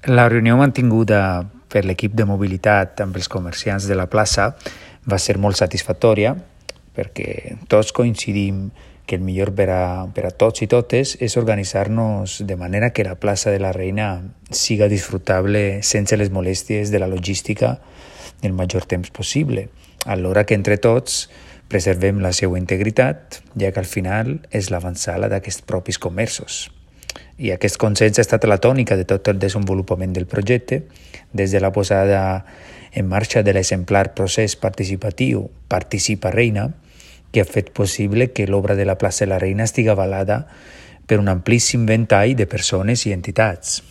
La reunió mantinguda per l'equip de mobilitat amb els comerciants de la plaça va ser molt satisfactòria perquè tots coincidim que el millor per a tots i totes és organitzar-nos de manera que la plaça de la Reina siga disfrutable sense les molèsties de la logística el major temps possible, alhora que entre tots preservem la seva integritat, ja que al final és l'avançada d'aquests propis comerços. I aquest consens ha estat la tònica de tot el desenvolupament del projecte, des de la posada en marxa de l'exemplar procés participatiu Participa Reina, que ha fet possible que l'obra de la plaça de la Reina estigui avalada per un amplíssim ventall de persones i entitats.